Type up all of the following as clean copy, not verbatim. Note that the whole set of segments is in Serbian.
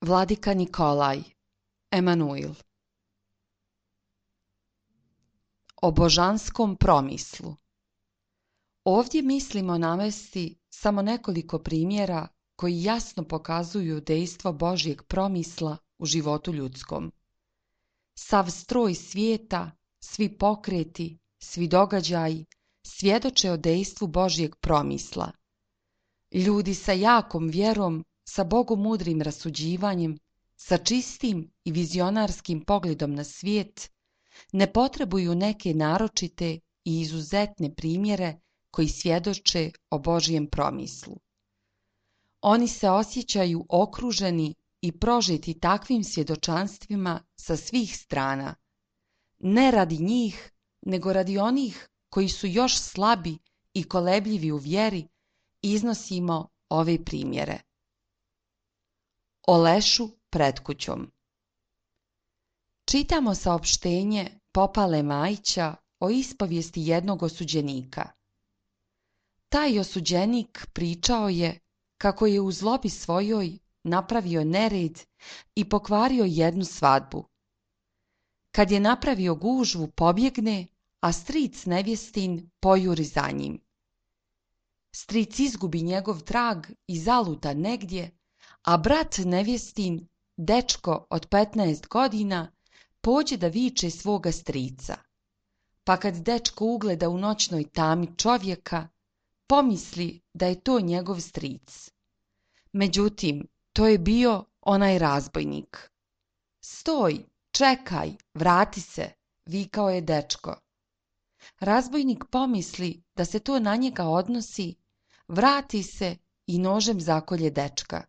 Vladika Nikolaj, Emanuil. O božanskom promislu. Ovdje mislimo navesti samo nekoliko primjera koji jasno pokazuju dejstvo Božjeg promisla u životu ljudskom. Sav stroj svijeta, svi pokreti, svi događaji svjedoče o dejstvu Božjeg promisla. Ljudi sa jakom vjerom, sa bogomudrim rasuđivanjem, sa čistim i vizionarskim pogledom na svijet, ne potrebuju neke naročite i izuzetne primjere koji svjedoče o Božjem promislu. Oni se osjećaju okruženi i prožeti takvim svjedočanstvima sa svih strana, ne radi njih, nego radi onih koji su još slabi i kolebljivi u vjeri, iznosimo ove primjere. O lešu pred kućom. Čitamo saopštenje Popale Majića o ispovijesti jednog osuđenika. Taj osuđenik pričao je kako je u zlobi svojoj napravio nered i pokvario jednu svadbu. Kad je napravio gužvu, pobjegne, a stric nevjestin pojuri za njim. Stric izgubi njegov trag i zaluta negdje, a brat nevjestin, dečko od 15 godina, pođe da viče svoga strica. Pa kad dečko ugleda u noćnoj tami čovjeka, pomisli da je to njegov stric. Međutim, to je bio onaj razbojnik. Stoj, čekaj, vrati se, vikao je dečko. Razbojnik pomisli da se to na njega odnosi, vrati se i nožem zakolje dečka.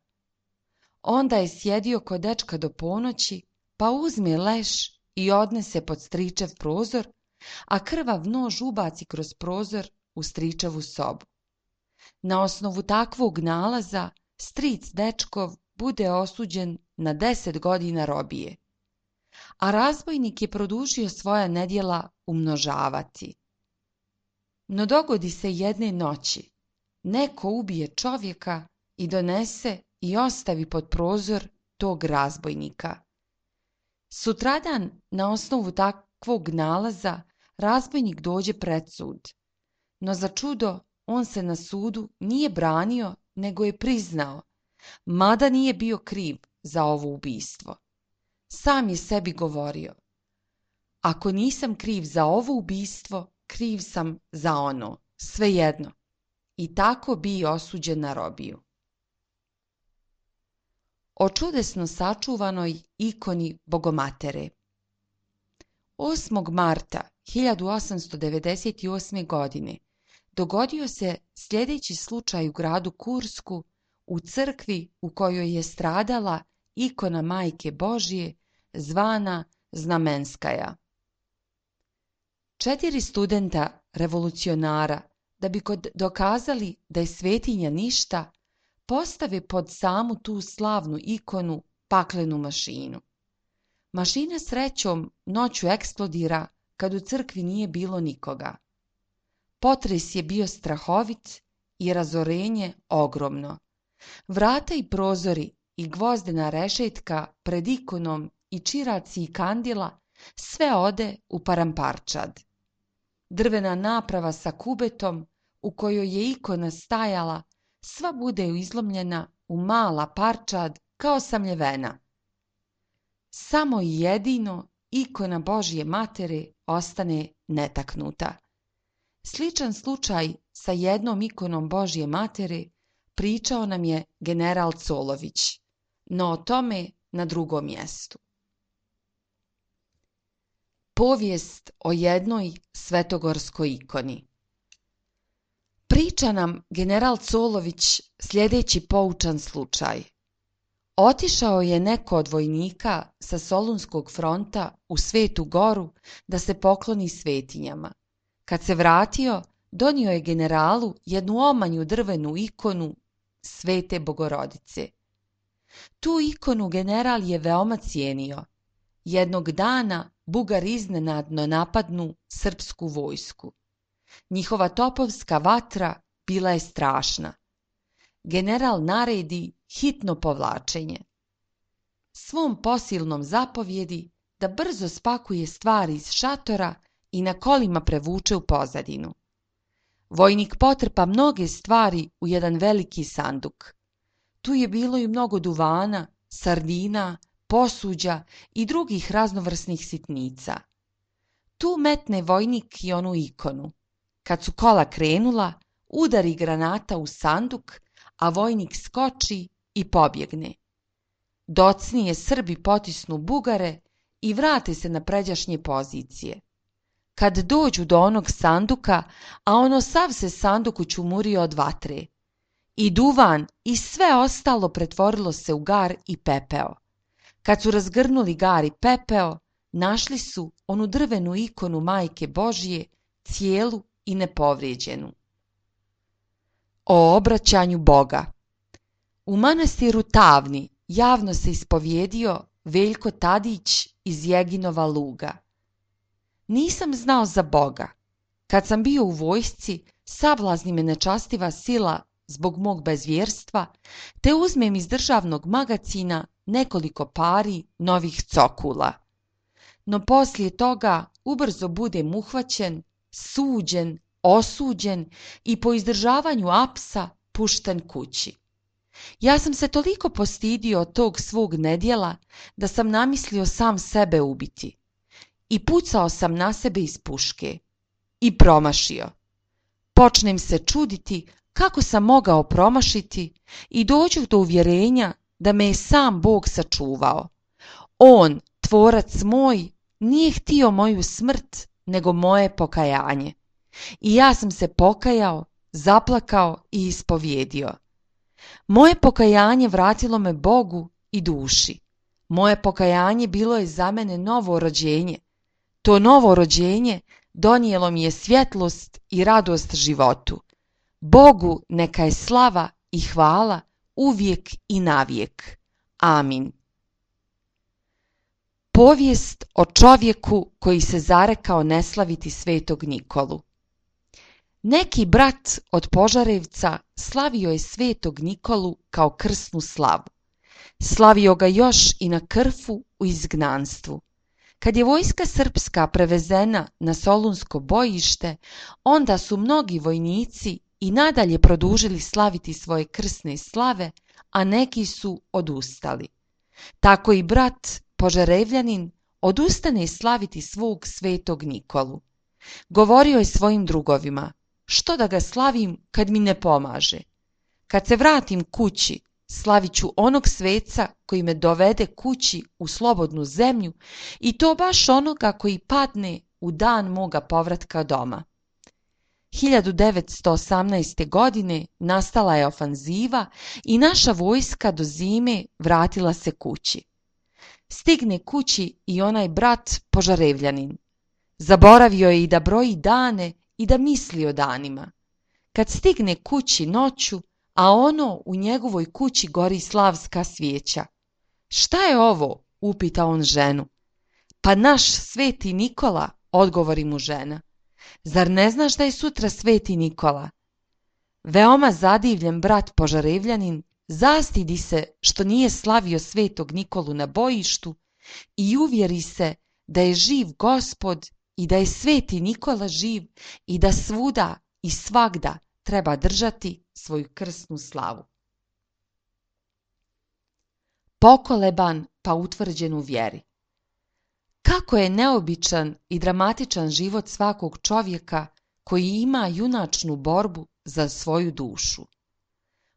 Onda je sjedio kod dečka do ponoći, pa uzme leš i odnese pod stričev prozor, a krvav nož ubaci kroz prozor u stričevu sobu. Na osnovu takvog nalaza stric dečkov bude osuđen na 10 godina robije, a razbojnik je produžio svoja nedjela umnožavati. No dogodi se jedne noći, neko ubije čovjeka i donese i ostavi pod prozor tog razbojnika. Sutradan, na osnovu takvog nalaza, razbojnik dođe pred sud. No za čudo, on se na sudu nije branio, nego je priznao, mada nije bio kriv za ovo ubistvo. Sam je sebi govorio, ako nisam kriv za ovo ubistvo, kriv sam za ono, svejedno. I tako bi osuđen na robiju. O čudesno sačuvanoj ikoni Bogomatere. 8. marta 1898. godine dogodio se sljedeći slučaj u gradu Kursku, u crkvi u kojoj je stradala ikona Majke Božje zvana Znamenskaja. 4 studenta revolucionara, da bi dokazali da je svetinja ništa, postave pod samu tu slavnu ikonu paklenu mašinu. Mašina srećom noću eksplodira kad u crkvi nije bilo nikoga. Potres je bio strahovit i razorenje ogromno. Vrata i prozori i gvozdena rešetka pred ikonom i čiraci i kandila sve ode u paramparčad. Drvena naprava sa kubetom u kojoj je ikona stajala sva bude izlomljena u mala parčad kao samljevena. Samo jedino ikona Božje Matere ostane netaknuta. Sličan slučaj sa jednom ikonom Božje Matere pričao nam je general Colović, no o tome na drugom mjestu. Povijest o jednoj svetogorskoj ikoni. Priča nam general Colović sljedeći poučan slučaj. Otišao je neko od vojnika sa Solunskog fronta u Svetu Goru da se pokloni svetinjama. Kad se vratio, donio je generalu jednu omanju drvenu ikonu Svete Bogorodice. Tu ikonu general je veoma cijenio. Jednog dana Bugari iznenadno napadnu srpsku vojsku. Njihova topovska vatra bila je strašna. General naredi hitno povlačenje. svom posilnom zapovjedi da brzo spakuje stvari iz šatora i na kolima prevuče u pozadinu. Vojnik potrpa mnoge stvari u jedan veliki sanduk. Tu je bilo i mnogo duvana, sardina, posuđa i drugih raznovrsnih sitnica. Tu metne vojnik i onu ikonu. Kad su kola krenula, udari granata u sanduk, a vojnik skoči i pobjegne. Docnije Srbi potisnu Bugare i vrate se na pređašnje pozicije. Kad dođu do onog sanduka, a ono sav se sanduk učumurio od vatre, i duvan i sve ostalo pretvorilo se u gar i pepeo. Kad su razgrnuli gar i pepeo, našli su onu drvenu ikonu Majke Božje, cijelu i nepovrijeđenu. O obraćanju Boga. U manastiru Tavni javno se ispovjedio Veljko Tadić iz Jeginova Luga. Nisam znao za Boga. Kad sam bio u vojsci, sablazni me nečastiva sila zbog mog bezvjerstva, te uzmem iz državnog magacina nekoliko pari novih cokula. No poslije toga ubrzo budem uhvaćen, suđen, osuđen i po izdržavanju apsa pušten kući. Ja sam se toliko postidio od tog svog nedjela da sam namislio sam sebe ubiti. I pucao sam na sebe iz puške. I promašio. Počnem se čuditi kako sam mogao promašiti i dođu do uvjerenja da me je sam Bog sačuvao. On, tvorac moj, nije htio moju smrt, nego moje pokajanje. I ja sam se pokajao, zaplakao i ispovjedio. Moje pokajanje vratilo me Bogu i duši. Moje pokajanje bilo je za mene novo rođenje. To novo rođenje donijelo mi je svjetlost i radost životu. Bogu neka je slava i hvala uvijek i navijek. Amin. Povijest o čovjeku koji se zarekao ne slaviti svetog Nikolu. Neki brat od Požarevca slavio je svetog Nikolu kao krsnu slavu. Slavio ga još i na Krfu u izgnanstvu. Kad je vojska srpska prevezena na Solunsko bojište, onda su mnogi vojnici i nadalje produžili slaviti svoje krsne slave, a neki su odustali. Tako i brat Požarevljanin odustane slaviti svog svetog Nikolu. Govorio je svojim drugovima: što da ga slavim kad mi ne pomaže? Kad se vratim kući, slavit ću onog sveca koji me dovede kući u slobodnu zemlju, i to baš onoga koji padne u dan moga povratka doma. 1918. godine nastala je ofanziva i naša vojska do zime vratila se kući. Stigne kući i onaj brat Požarevljanin. Zaboravio je i da broji dane i da misli o danima. Kad stigne kući noću, a ono u njegovoj kući gori slavska svijeća. Šta je ovo? Upita on ženu. Pa naš sveti Nikola, odgovori mu žena. Zar ne znaš da je sutra sveti Nikola? Veoma zadivljen brat Požarevljanin zastidi se što nije slavio svetog Nikolu na bojištu i uvjeri se da je živ Gospod i da je sveti Nikola živ i da svuda i svagda treba držati svoju krsnu slavu. Pokoleban pa utvrđen u vjeri. Kako je neobičan i dramatičan život svakog čovjeka koji ima junačnu borbu za svoju dušu.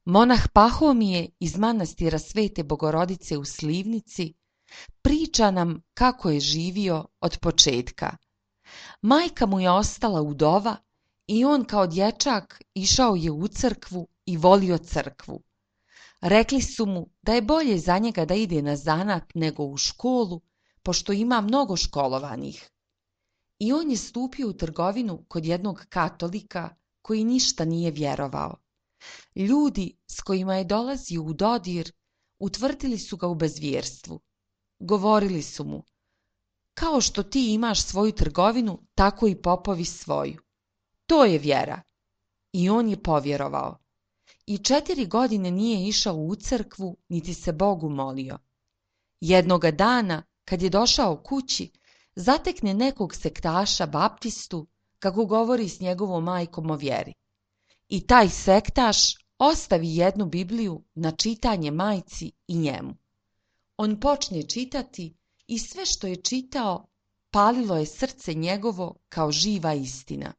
Monah Pahomije iz manastira Svete Bogorodice u Slivnici priča nam kako je živio od početka. Majka mu je ostala udova i on kao dječak išao je u crkvu i volio crkvu. Rekli su mu da je bolje za njega da ide na zanat nego u školu, pošto ima mnogo školovanih. I on je stupio u trgovinu kod jednog katolika koji ništa nije vjerovao. Ljudi s kojima je dolazio u dodir utvrdili su ga u bezvjerstvu. Govorili su mu: kao što ti imaš svoju trgovinu, tako i popovi svoju. To je vjera. I on je povjerovao. I 4 godine nije išao u crkvu, niti se Bogu molio. Jednoga dana, kad je došao kući, zatekne nekog sektaša baptistu kako govori s njegovom majkom o vjeri. I taj sektaš ostavi jednu Bibliju na čitanje majci i njemu. On počne čitati i sve što je čitao palilo je srce njegovo kao živa istina.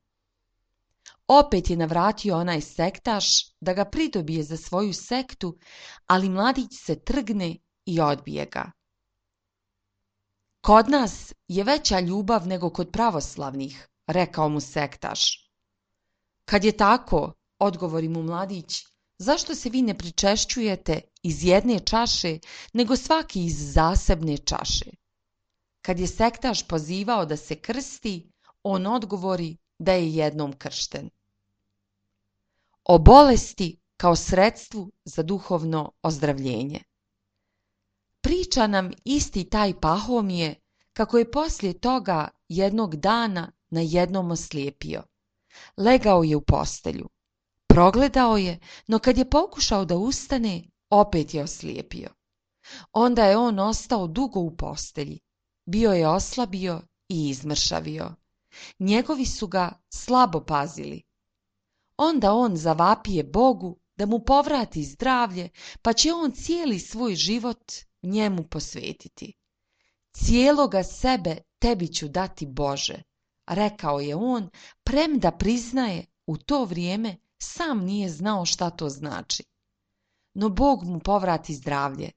Opet je navratio onaj sektaš da ga pridobije za svoju sektu, ali mladić se trgne i odbije ga. Kod nas je veća ljubav nego kod pravoslavnih, rekao mu sektaš. Kad je tako, odgovori mu mladić, zašto se vi ne pričešćujete iz jedne čaše, nego svaki iz zasebne čaše? Kad je sektaš pozivao da se krsti, on odgovori da je jednom kršten. O bolesti kao sredstvu za duhovno ozdravljenje. Priča nam isti taj Pahomije kako je poslije toga jednog dana najednom oslijepio. Legao je u postelju. Progledao je, no kad je pokušao da ustane, opet je oslijepio. Onda je on ostao dugo u postelji. Bio je oslabio i izmršavio. Njegovi su ga slabo pazili. Onda on zavapije Bogu da mu povrati zdravlje, pa će on cijeli svoj život njemu posvetiti. Cijeloga sebe tebi ću dati, Bože, rekao je on, premda priznaje u to vrijeme sam nije znao šta to znači. No Bog mu povrati zdravlje.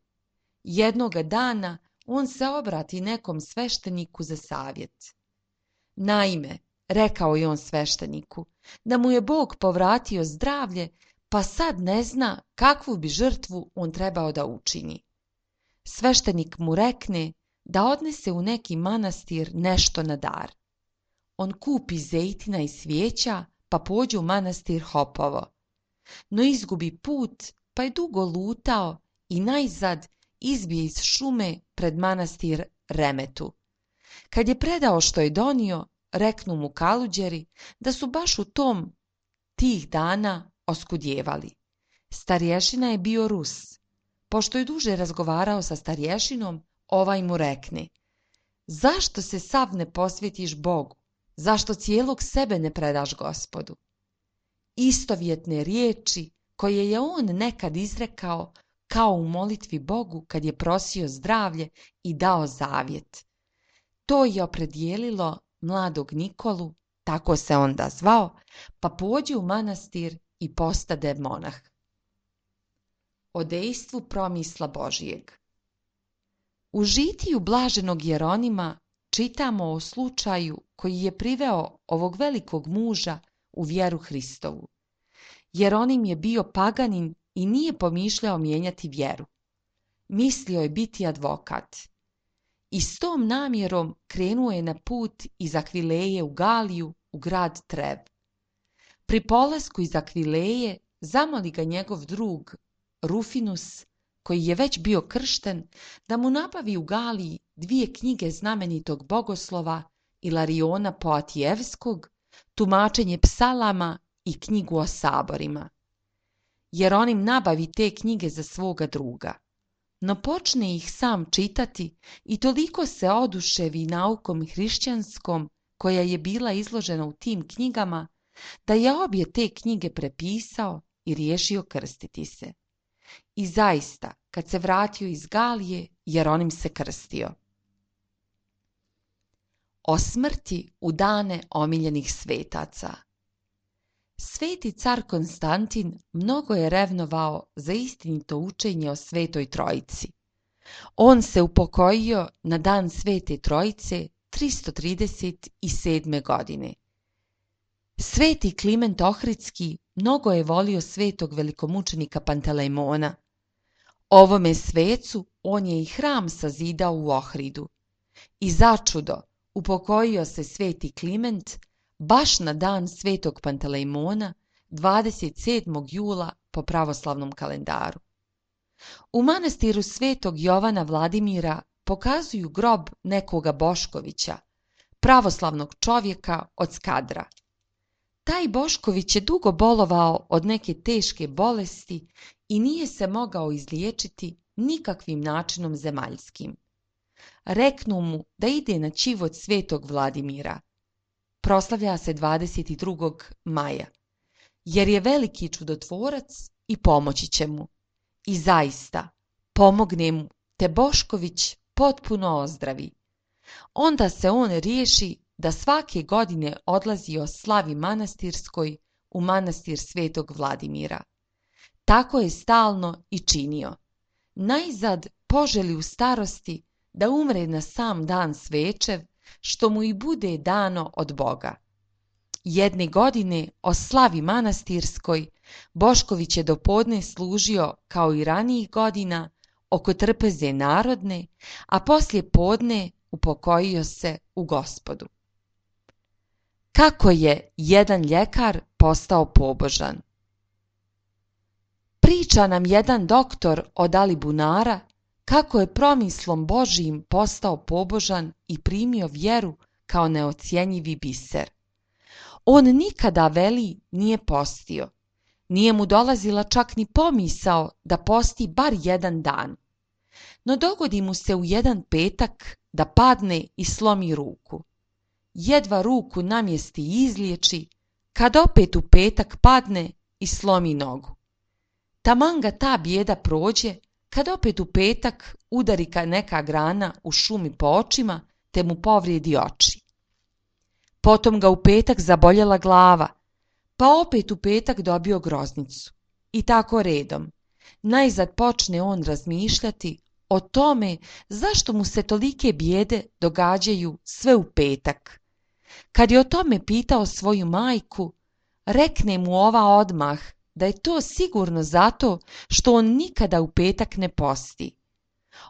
Jednoga dana on se obrati nekom svešteniku za savjet. Naime, rekao je on svešteniku, da mu je Bog povratio zdravlje, pa sad ne zna kakvu bi žrtvu on trebao da učini. Sveštenik mu rekne da odnese u neki manastir nešto na dar. On kupi zejtina i svijeća, pa pođe u manastir Hopovo. No izgubi put, pa je dugo lutao i najzad izbije iz šume pred manastir Remetu. Kad je predao što je donio, reknu mu kaluđeri da su baš u tih dana oskudjevali. Starješina je bio Rus. Pošto je duže razgovarao sa starješinom, ovaj mu rekne: zašto se sav ne posvetiš Bogu? Zašto cijelog sebe ne predaš Gospodu? Istovjetne riječi koje je on nekad izrekao kao u molitvi Bogu kad je prosio zdravlje i dao zavjet. To je opredijelilo mladog Nikolu, tako se onda zvao, pa pođe u manastir i postade monah. O dejstvu promisla Božijeg. U žitiju blaženog Jeronima čitamo o slučaju koji je priveo ovog velikog muža u vjeru Hristovu. Jeronim je bio paganin i nije pomišljao mijenjati vjeru. Mislio je biti advokat. I s tom namjerom krenuo je na put iz Akvileje u Galiju u grad Trev. Pri polasku iz Akvileje zamoli ga njegov drug Rufinus, koji je već bio kršten, da mu nabavi u Galiji 2 knjige znamenitog bogoslova Ilariona Poatijevskog, tumačenje psalama i knjigu o saborima. Jeronim nabavi te knjige za svoga druga, no počne ih sam čitati i toliko se oduševi naukom hrišćanskom koja je bila izložena u tim knjigama, da je obje te knjige prepisao i riješio krstiti se. I zaista, kad se vratio iz Galije, Jeronim se krstio. O smrti u dane omiljenih svetaca. Sveti car Konstantin mnogo je revnovao za istinito učenje o Svetoj Trojici. On se upokojio na dan Svete Trojice 337. godine. Sveti Kliment Ohridski mnogo je volio svetog velikomučenika Pantelejmona. Ovome svecu on je i hram sazidao u Ohridu. I začudo, upokojio se sveti Kliment baš na dan svetog Pantelejmona 27. jula po pravoslavnom kalendaru. U manastiru svetog Jovana Vladimira pokazuju grob nekoga Boškovića, pravoslavnog čovjeka od Skadra. Taj Bošković je dugo bolovao od neke teške bolesti i nije se mogao izliječiti, nikakvim načinom zemaljskim. Reknu mu da ide na ćivot svetog Vladimira. Proslavlja se 22. maja, jer je veliki čudotvorac i pomoći će mu. I zaista, pomogne mu, te Bošković potpuno ozdravi. Onda se on riješi da svake godine odlazi o slavi manastirskoj u manastir svetog Vladimira. Tako je stalno i činio. Najzad poželi u starosti da umre na sam dan svečev, što mu i bude dano od Boga. Jedne godine o slavi manastirskoj Bošković je do podne služio kao i ranijih godina oko trpeze narodne, a poslije podne upokojio se u Gospodu. Kako je jedan ljekar postao pobožan? Priča nam jedan doktor od Alibunara kako je promislom Božijim postao pobožan i primio vjeru kao neocjenjivi biser. On nikada, veli, nije postio. Nije mu dolazila čak ni pomisao da posti bar jedan dan. No dogodi mu se u jedan petak da padne i slomi ruku. Jedva ruku namjesti i izliječi, kad opet u petak padne i slomi nogu. Taman ga ta bijeda prođe, kad opet u petak udari neka grana u šumi po očima, te mu povrijedi oči. Potom ga u petak zaboljela glava, pa opet u petak dobio groznicu. I tako redom. Najzad počne on razmišljati o tome zašto mu se tolike bijede događaju sve u petak. Kad je o tome pitao svoju majku, rekne mu ova odmah da je to sigurno zato što on nikada u petak ne posti.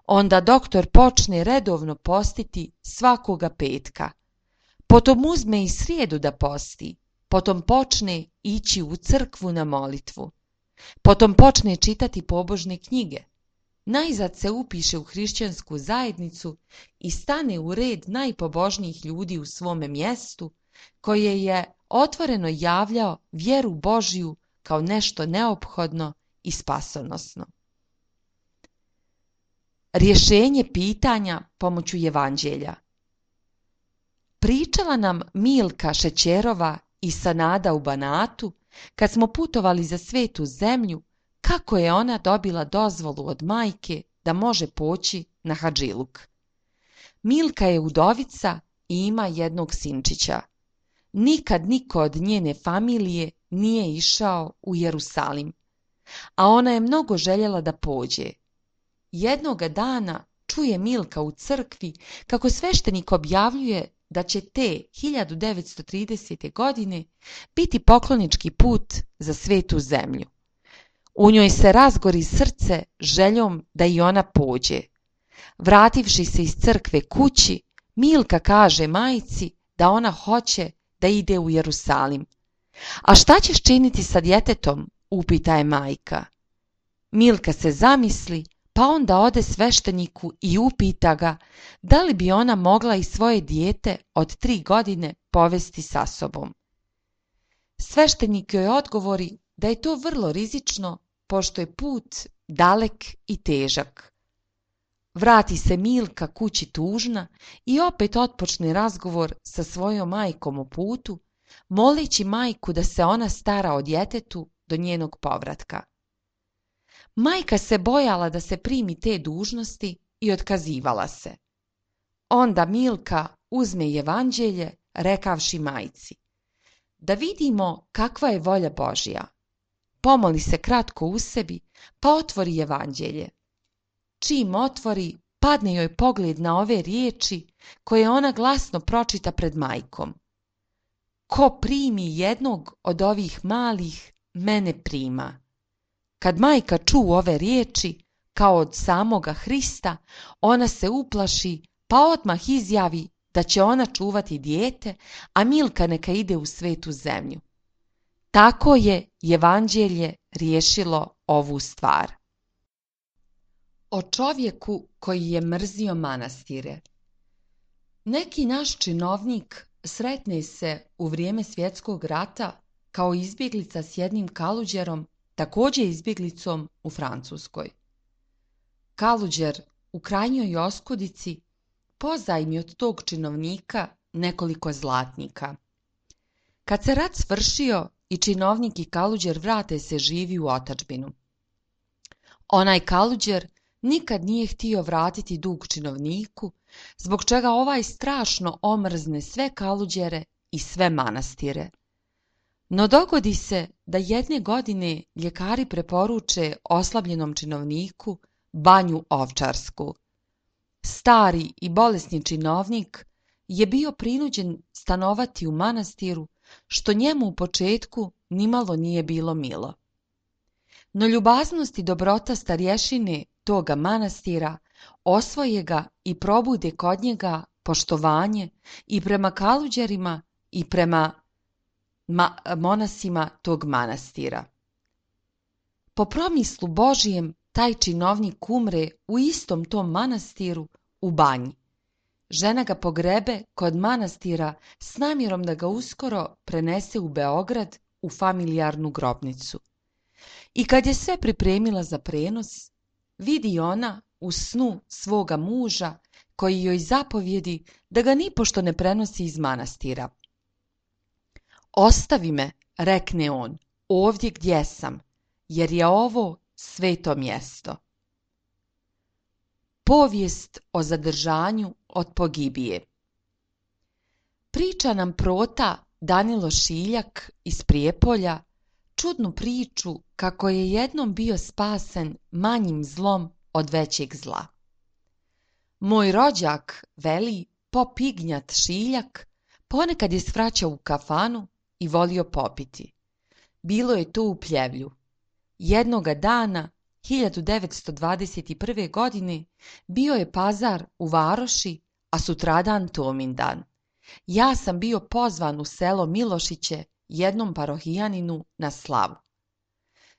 Onda doktor počne redovno postiti svakoga petka. Potom uzme i srijedu da posti. Potom počne ići u crkvu na molitvu. Potom počne čitati pobožne knjige. Najzad se upiše u hrišćansku zajednicu i stane u red najpobožnijih ljudi u svome mjestu, koje je otvoreno javljao vjeru Božju kao nešto neophodno i spasonosno. Rješenje pitanja pomoću Evanđelja. Pričala nam Milka Šećerova i Sanada u Banatu, kad smo putovali za svetu zemlju, kako je ona dobila dozvolu od majke da može poći na hadžiluk. Milka je udovica i ima jednog sinčića. Nikad niko od njene familije nije išao u Jerusalim, a ona je mnogo željela da pođe. Jednoga dana čuje Milka u crkvi kako sveštenik objavljuje da će te 1930. godine biti poklonički put za svetu zemlju. U njoj se razgori srce željom da i ona pođe. Vrativši se iz crkve kući, Milka kaže majci da ona hoće da ide u Jerusalim. A šta ćeš činiti sa djetetom? Upita je majka. Milka se zamisli, pa onda ode svešteniku i upita ga da li bi ona mogla i svoje dijete od 3 godine povesti sa sobom. Sveštenik joj odgovori da je to vrlo rizično, pošto je put dalek i težak. Vrati se Milka kući tužna i opet otpočne razgovor sa svojom majkom o putu, moleći majku da se ona stara o djetetu do njenog povratka. Majka se bojala da se primi te dužnosti i otkazivala se. Onda Milka uzme Evanđelje, rekavši majci: da vidimo kakva je volja Božja. Pomoli se kratko u sebi, pa otvori Evanđelje. Čim otvori, padne joj pogled na ove riječi koje ona glasno pročita pred majkom. Ko primi jednog od ovih malih, mene prima. Kad majka ču ove riječi, kao od samoga Hrista, ona se uplaši, pa odmah izjavi da će ona čuvati dijete, a Milka neka ide u svetu zemlju. Tako je Evanđelje riješilo ovu stvar. O čovjeku koji je mrzio manastire. Neki naš činovnik sretne se u vrijeme svjetskog rata kao izbjeglica s jednim kaluđerom, također izbjeglicom u Francuskoj. Kaluđer u krajnjoj oskudici pozajmi od tog činovnika nekoliko zlatnika. Kad se rat svršio i činovnik i Kaluđer vrate se živi u otadžbinu. Onaj Kaluđer nikad nije htio vratiti dug činovniku, zbog čega ovaj strašno omrzne sve Kaluđere i sve manastire. No dogodi se da jedne godine ljekari preporuče oslabljenom činovniku banju ovčarsku. Stari i bolesni činovnik je bio prinuđen stanovati u manastiru, što njemu u početku nimalo nije bilo milo. No ljubaznost i dobrota starješine toga manastira osvoje ga i probude kod njega poštovanje i prema Kaluđerima i prema monasima tog manastira. Po promislu Božijem taj činovnik umre u istom tom manastiru u banji. Žena ga pogrebe kod manastira s namjerom da ga uskoro prenese u Beograd u familijarnu grobnicu. I kad je sve pripremila za prenos, vidi ona u snu svoga muža koji joj zapovjedi da ga nipošto ne prenosi iz manastira. Ostavi me, rekne on, ovdje gdje sam, jer je ovo sveto mjesto. Povijest o zadržanju od pogibije. Priča nam prota Danilo Šiljak iz Prijepolja čudnu priču kako je jednom bio spasen manjim zlom od većeg zla. Moj rođak, veli, pop Ignjat Šiljak, ponekad je svraćao u kafanu i volio popiti. Bilo je to u Pljevlju. Jednoga dana, 1921. godine, bio je pazar u Varoši, a sutradan Tomindan. Ja sam bio pozvan u selo Milošiće jednom parohijaninu na slavu.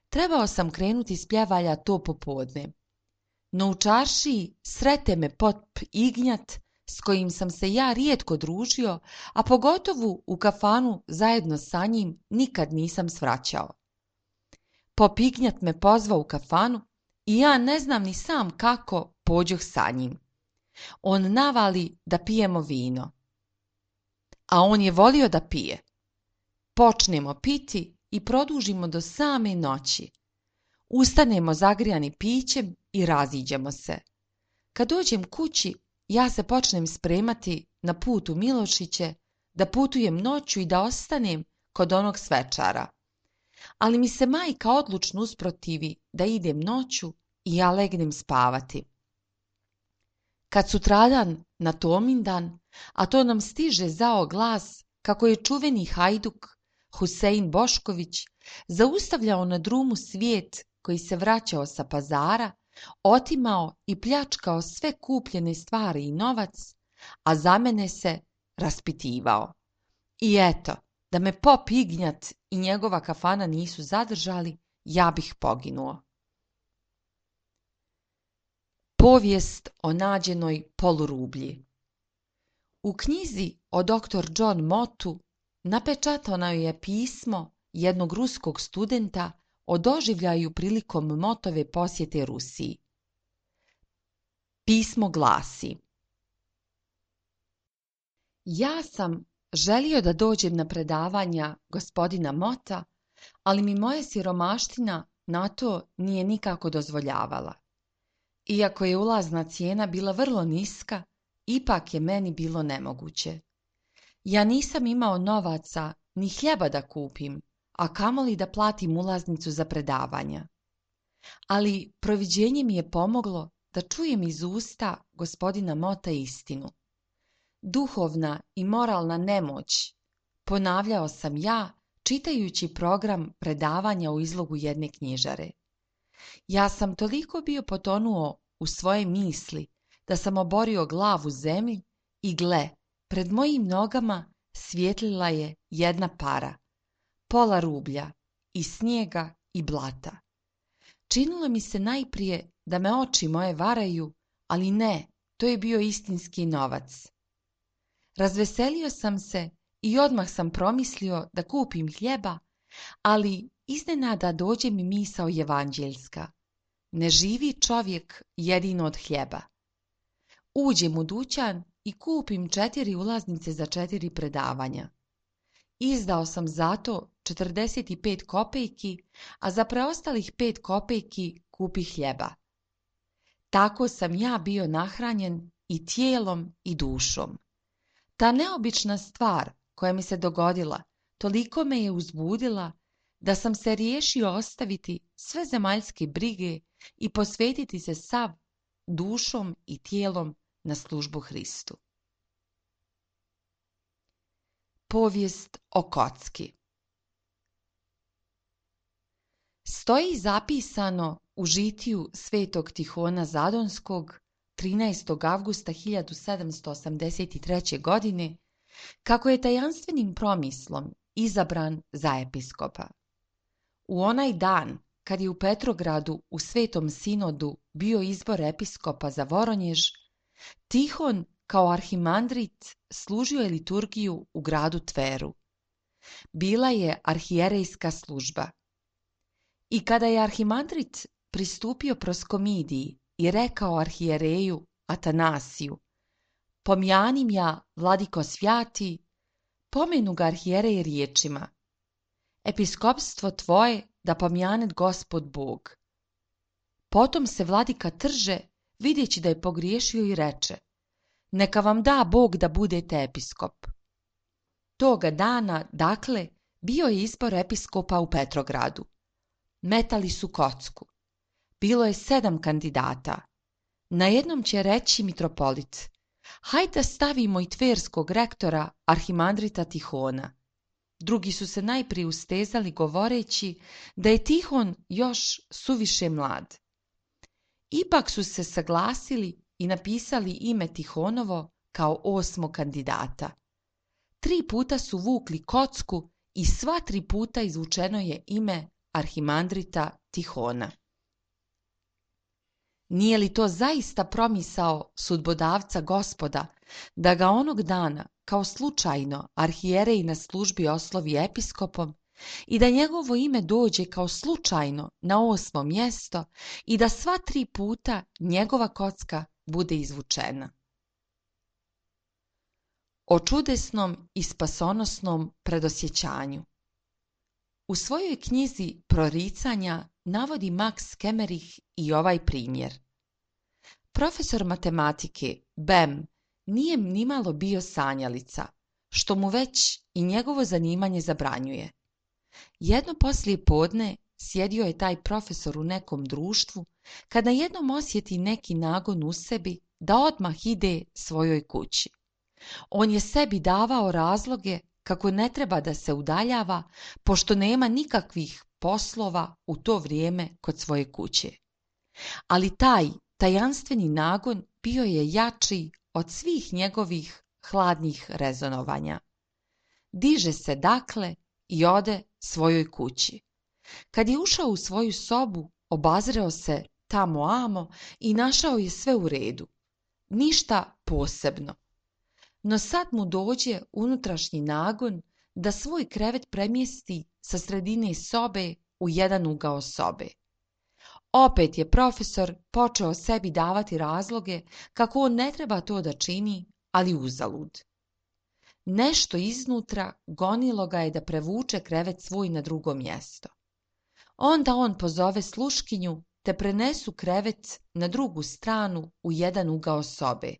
Trebao sam krenuti s Pljevalja to popodne. No u čaršiji srete me pop Ignjat, s kojim sam se ja rijetko družio, a pogotovo u kafanu zajedno sa njim nikad nisam svraćao. Pop Ignjat me pozvao u kafanu i ja ne znam ni sam kako pođoh sa njim. On navali da pijemo vino. A on je volio da pije. Počnemo piti i produžimo do same noći. Ustanemo zagrijani pićem i raziđemo se. Kad dođem kući, ja se počnem spremati na put u Milošiće, da putujem noću i da ostanem kod onog svečara. Ali mi se majka odlučno usprotivi da idem noću i ja legnem spavati. Kad sutradan na Tomindan, a to nam stiže zao glas kako je čuveni hajduk Husein Bošković zaustavljao na drumu svijet koji se vraćao sa pazara, otimao i pljačkao sve kupljene stvari i novac, a za mene se raspitivao. I eto, da me pop Ignjat i njegova kafana nisu zadržali, ja bih poginuo. Povijest o nađenoj polurublji. U knjizi o dr. John Mottu napečatano je pismo jednog ruskog studenta o doživljaju prilikom Mottove posjete Rusiji. Pismo glasi: Ja sam želio da dođem na predavanja gospodina Motta, ali mi moja siromaština na to nije nikako dozvoljavala. Iako je ulazna cijena bila vrlo niska, ipak je meni bilo nemoguće. Ja nisam imao novaca ni hljeba da kupim, a kamoli da platim ulaznicu za predavanja. Ali proviđenje mi je pomoglo da čujem iz usta gospodina Motta istinu. Duhovna i moralna nemoć, ponavljao sam ja, čitajući program predavanja u izlogu jedne knjižare. Ja sam toliko bio potonuo u svoje misli da sam oborio glavu zemlji i gle, pred mojim nogama svjetlila je jedna para, pola rublja, i snijega i blata. Činilo mi se najprije da me oči moje varaju, ali ne, to je bio istinski novac. Razveselio sam se i odmah sam promislio da kupim hljeba, ali iznenada dođe mi misao evanđeljska. ne živi čovjek jedino od hljeba. Uđem u dućan i kupim 4 ulaznice za 4 predavanja. Izdao sam za to 45 kopejki, a za preostalih 5 kopejki kupi hljeba. Tako sam ja bio nahranjen i tijelom i dušom. Ta neobična stvar koja mi se dogodila toliko me je uzbudila da sam se riješio ostaviti sve zemaljske brige i posvetiti se sav dušom i tijelom na službu Hristu. Povijest o kocki. Stoji zapisano u žitiju svetog Tihona Zadonskog 13. avgusta 1783. godine kako je tajanstvenim promislom izabran za episkopa. U onaj dan kad je u Petrogradu u Svetom sinodu bio izbor episkopa za Voronjež, Tihon kao arhimandrit služio je liturgiju u gradu Tveru. Bila je arhijerejska služba. I kada je arhimandrit pristupio proskomidiji i rekao arhijereju Atanasiju: "Pomjanim ja, vladiko svjati", pomenu ga arhijerej riječima: "Episkopstvo tvoje da pomjanet Gospod Bog." Potom se vladika trže, vidjeći da je pogriješio, i reče: "Neka vam da Bog da budete episkop." Toga dana, dakle, bio je izbor episkopa u Petrogradu. Metali su kocku. Bilo je 7 kandidata. Na jednom će reći mitropolit: "Hajde da stavimo i tverskog rektora arhimandrita Tihona." Drugi su se najprije ustezali govoreći da je Tihon još suviše mlad. Ipak su se saglasili i napisali ime Tihonovo kao 8. kandidata. 3 puta su vukli kocku i sva 3 puta izvučeno je ime arhimandrita Tihona. Nije li to zaista promisao sudbodavca Gospoda da ga onog dana kao slučajno arhijerej na službi oslovi episkopom i da njegovo ime dođe kao slučajno na 8. mjesto i da sva 3 puta njegova kocka bude izvučena? O čudesnom i spasonosnom predosjećanju. U svojoj knjizi Proricanja navodi Max Kemerich i ovaj primjer. Profesor matematike Bem nije nimalo bio sanjalica, što mu već i njegovo zanimanje zabranjuje. Jedno poslije podne sjedio je taj profesor u nekom društvu, kada jednom osjeti neki nagon u sebi da odmah ide svojoj kući. On je sebi davao razloge kako ne treba da se udaljava, pošto nema nikakvih poslova u to vrijeme kod svoje kuće. Ali taj tajanstveni nagon bio je jači od svih njegovih hladnih rezonovanja. Diže se dakle i ode svojoj kući. Kad je ušao u svoju sobu, obazreo se tamo amo i našao je sve u redu. Ništa posebno. No sad mu dođe unutrašnji nagon da svoj krevet premjesti sa sredine sobe u jedan ugao sobe. Opet je profesor počeo sebi davati razloge kako on ne treba to da čini, ali uzalud. Nešto iznutra gonilo ga je da prevuče krevet svoj na drugo mjesto. Onda on pozove sluškinju te prenesu krevet na drugu stranu u jedan ugao sobe.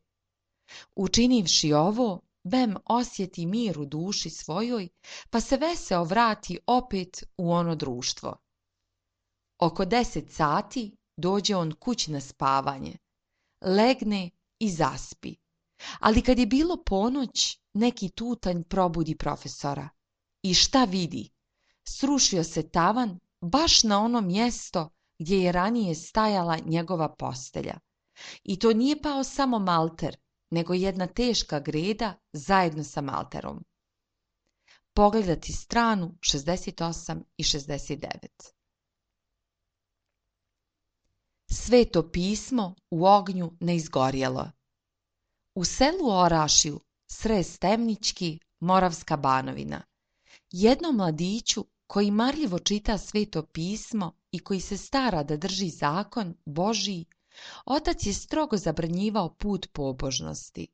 Učinivši ovo, Bem osjeti mir u duši svojoj, pa se veseo vrati opet u ono društvo. Oko 10 sati dođe on kući na spavanje. Legne i zaspi. Ali kad je bilo ponoć, neki tutanj probudi profesora. I šta vidi? Srušio se tavan baš na ono mjesto gdje je ranije stajala njegova postelja. I to nije pao samo malter, nego jedna teška greda zajedno sa malterom. Pogledati stranu 68 i 69. Sveto pismo u ognju ne izgorjelo. U selu Orašju, Srez Temnički, Moravska Banovina, jednom mladiću koji marljivo čita Sveto pismo i koji se stara da drži zakon Božji, otac je strogo zabranjivao put pobožnosti.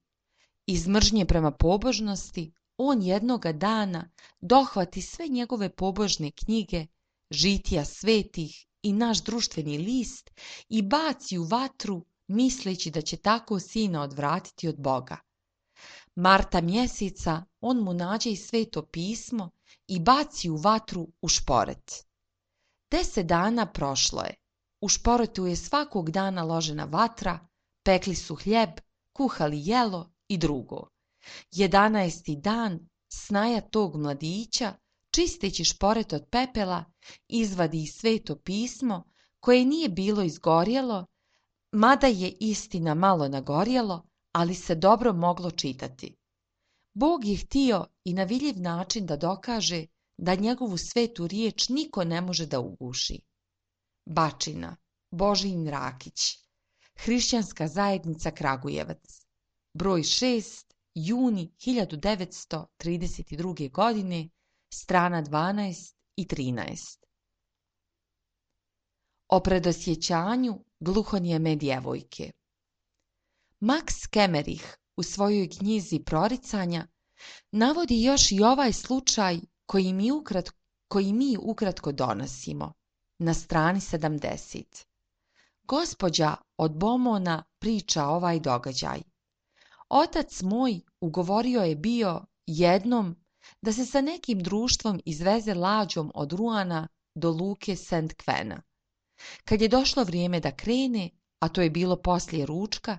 Iz mržnje prema pobožnosti, on jednoga dana dohvati sve njegove pobožne knjige, žitija svetih i naš društveni list i baci u vatru, misleći da će tako sina odvratiti od Boga. Marta mjeseca on mu nađe i sveto pismo i baci u vatru u šporet. 10 dana prošlo je. U šporetu je svakog dana ložena vatra, pekli su hljeb, kuhali jelo i drugo. 11. dan snaja tog mladića, čisteći šporet od pepela, izvadi sveto pismo koje nije bilo izgorjelo, mada je istina malo nagorjelo, ali se dobro moglo čitati. Bog je htio i na vidljiv način da dokaže da njegovu svetu riječ niko ne može da uguši. Bačina, Božijin Rakić, Hrišćanska zajednica Kragujevac, broj 6, juni 1932. godine, strana 12 i 13. O predosjećanju gluhonijeme djevojke. Max Kemerich u svojoj knjizi Proricanja navodi još i ovaj slučaj koji mi ukratko donosimo, na strani 70. Gospođa od Bomona priča ovaj događaj. Otac moj ugovorio je bio jednom da se sa nekim društvom izveze lađom od Ruana do luke St. Kvena. Kad je došlo vrijeme da krene, a to je bilo poslije ručka,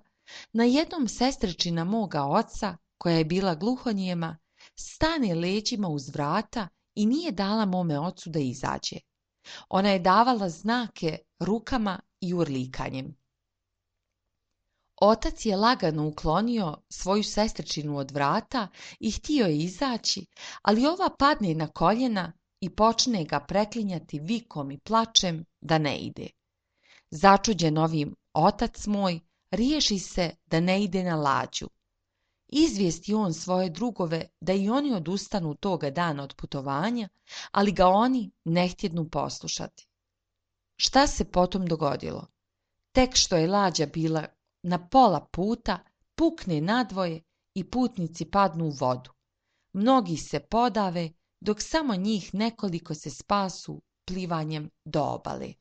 na jednom sestričina moga oca, koja je bila gluhonijema, stane leđima uz vrata i nije dala mome ocu da izađe. Ona je davala znake rukama i urlikanjem. Otac je lagano uklonio svoju sestričinu od vrata i htio je izaći, ali ova padne na koljena i počne ga preklinjati vikom i plačem da ne ide. Začuđen ovim otac moj riješi se da ne ide na lađu. Izvijesti on svoje drugove da i oni odustanu toga dana od putovanja, ali ga oni ne htjednu poslušati. Šta se potom dogodilo? Tek što je lađa bila na pola puta, pukne nadvoje i putnici padnu u vodu. Mnogi se podave, dok samo njih nekoliko se spasu plivanjem do obale.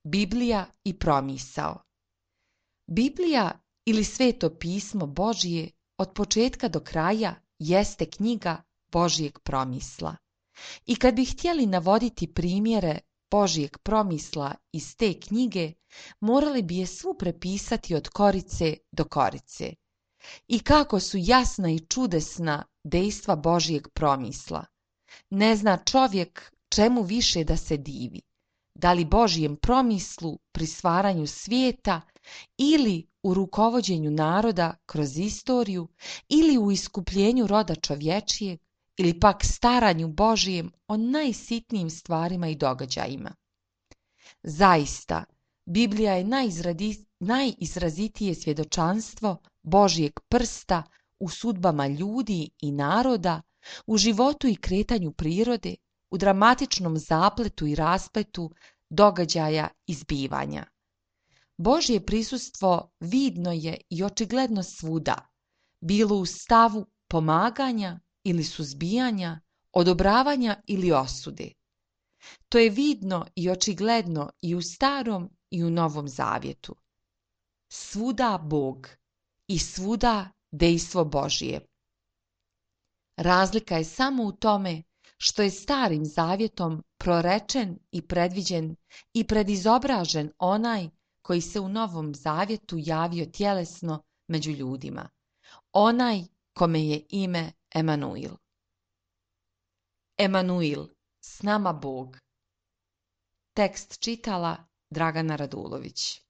Biblija i promisao. Biblija ili sveto pismo Božije od početka do kraja jeste knjiga Božijeg promisla. I kad bi htjeli navoditi primjere Božijeg promisla iz te knjige, morali bi je svu prepisati od korice do korice. I kako su jasna i čudesna dejstva Božijeg promisla. Ne zna čovjek čemu više da se divi. Da li Božijem promislu pri stvaranju svijeta ili u rukovođenju naroda kroz istoriju ili u iskupljenju roda čovječijeg ili pak staranju Božijem o najsitnijim stvarima i događajima. Zaista, Biblija je najizrazitije svjedočanstvo Božijeg prsta u sudbama ljudi i naroda, u životu i kretanju prirode, u dramatičnom zapletu i raspletu događaja i zbivanja. Božje prisustvo vidno je i očigledno svuda, bilo u stavu pomaganja ili suzbijanja, odobravanja ili osude. To je vidno i očigledno i u Starom i u Novom Zavjetu. Svuda Bog i svuda dejstvo Božije. Razlika je samo u tome što je Starim Zavjetom prorečen i predviđen i predizobražen onaj koji se u Novom Zavjetu javio tjelesno među ljudima, onaj kome je ime Emanuil. Emanuil, s nama Bog. Tekst čitala Dragana Radulović.